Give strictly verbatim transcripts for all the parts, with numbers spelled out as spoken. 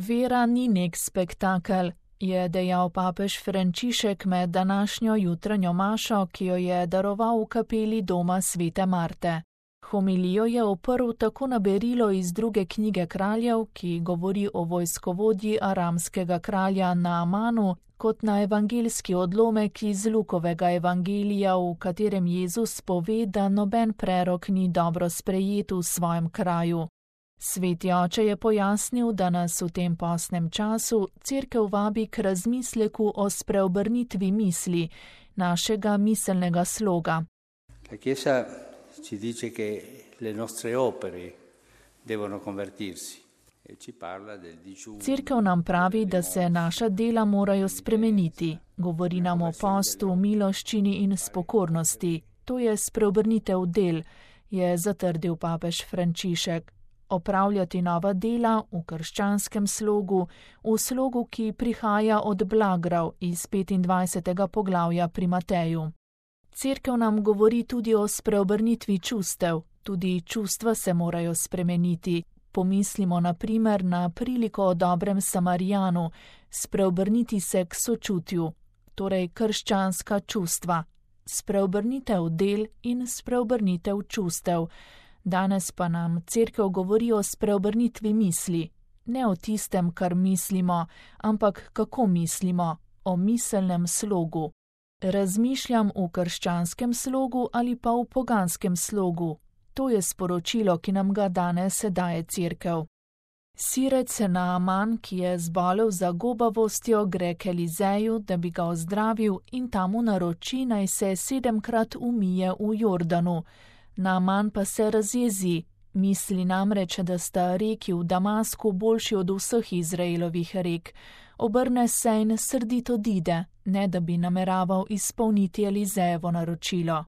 Vera ni nek spektakel, je dejal papež Frančišek med današnjo jutranjo mašo, ki jo je daroval v kapeli doma svete Marte. Homilijo je oprl tako na berilo iz druge knjige kraljev, ki govori o vojskovodji aramskega kralja Naamanu, kot na evangeljski odlomek iz Lukovega evangelija, v katerem Jezus pove, da noben prerok ni dobro sprejet v svojem kraju. Sveti oče je pojasnil, da nas v tem postnem času Cerkev vabi k razmisleku o spreobrnitvi misli, našega miselnega sloga. La Chiesa ci dice che le nostre opere devono convertirsi. Cerkev nam pravi, da se naša dela morajo spremeniti. Govori nam o postu, miloščini in spokornosti. To je spreobrnitev del, je zatrdil papež Frančišek. Opravljati nova dela v krščanskem slogu, v slogu, ki prihaja od blagrav iz petindvajsetega poglavja pri Mateju. Cerkev nam govori tudi o spreobrnitvi čustev. Tudi čustva se morajo spremeniti. Pomislimo na primer na priliko o dobrem Samarijanu, spreobrniti se k sočutju, torej krščanska čustva, spreobrnitev del in spreobrnitev čustev. Danes pa nam Cerkev govori o spreobrnitvi misli, ne o tistem, kar mislimo, ampak kako mislimo, o miselnem slogu. Razmišljam v krščanskem slogu ali pa v poganskem slogu. To je sporočilo, ki nam ga danes daje Cerkev. Sirec Naaman, ki je zbolel za gobavostjo, gre k Elizeju, da bi ga ozdravil, in tam mu naroči, naj se sedemkrat umije v Jordanu. Naaman pa se razjezi, misli namreč, da sta reki v Damasku boljši od vseh Izraelovih rek. Obrne se in srdito odide, ne da bi nameraval izpolniti Elizejevo naročilo.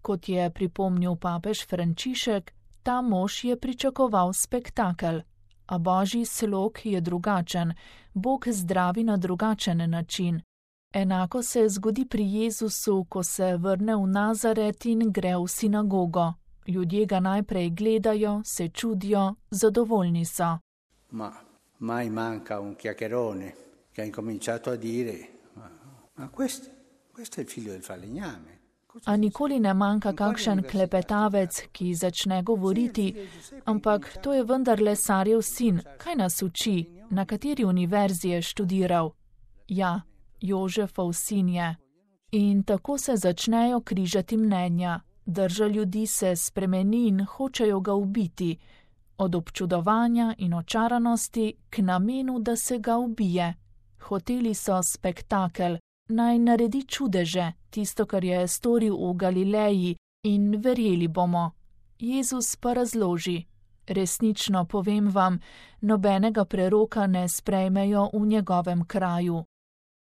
Kot je pripomnil papež Frančišek, ta mož je pričakoval spektakel, a božji slog je drugačen, Bog zdravi na drugačen način. Enako se zgodi pri Jezusu, ko se vrne v Nazaret in gre v sinagogo. Ljudje ga najprej gledajo, se čudijo, zadovoljni so. Ma mai manca un chiacchierone che ha incominciato a dire: ma questo, questo è il figlio del falegname. A nikoli ne manjka kakšen klepetavec, ki začne govoriti, ampak to je vendar Lesarjev sin, kaj nas uči, na kateri univerzi je študiral? Ja, Jožefov sin je. In tako se začnejo križati mnenja, drža ljudi se spremeni in hočejo ga ubiti, od občudovanja in očaranosti k namenu, da se ga ubije. Hoteli so spektakel, naj naredi čudeže, tisto, kar je storil v Galileji, in verjeli bomo. Jezus pa razloži: resnično povem vam, nobenega preroka ne sprejmejo v njegovem kraju.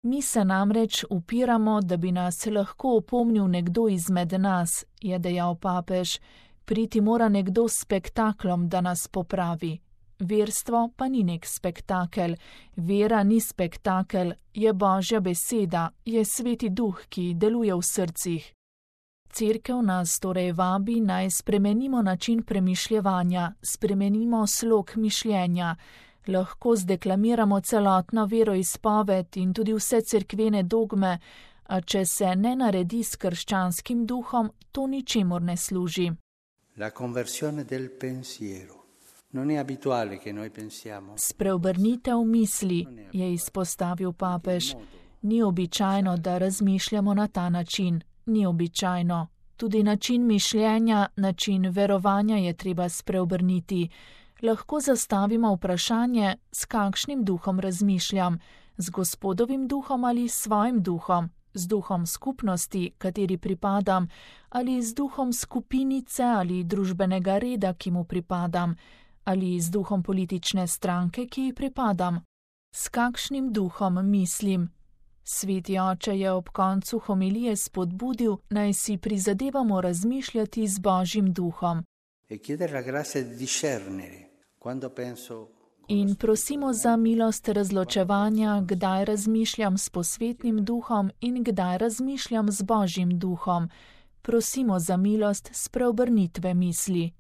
Mi se namreč upiramo, da bi nas lahko opomnil nekdo izmed nas, je dejal papež. Priti mora nekdo s spektaklom, da nas popravi. Verstvo pa ni nek spektakel, vera ni spektakel, je Božja beseda, je Sveti Duh, ki deluje v srcih. Cerkev nas torej vabi, naj spremenimo način premišljevanja, spremenimo slog mišljenja. Lahko zdeklamiramo celotno veroizpoved in tudi vse cerkvene dogme, a če se ne naredi s krščanskim duhom, to ničemur ne služi. La conversione del pensiero. Non è abituale che noi pensiamo. Spreobrnitev misli, je izpostavil papež. Ni običajno, da razmišljamo na ta način. Ni običajno. Tudi način mišljenja, način verovanja je treba spreobrniti. Lahko zastavimo vprašanje, s kakšnim duhom razmišljam, z Gospodovim duhom ali s svojim duhom, z duhom skupnosti, kateri pripadam, ali z duhom skupinice ali družbenega reda, ki mu pripadam, ali z duhom politične stranke, ki ji pripadam. S kakšnim duhom mislim? Sveti oče je ob koncu homilije spodbudil, naj si prizadevamo razmišljati z Božjim duhom. In prosimo za milost razločevanja, kdaj razmišljam s posvetnim duhom in kdaj razmišljam z Božjim duhom. Prosimo za milost spreobrnitve misli.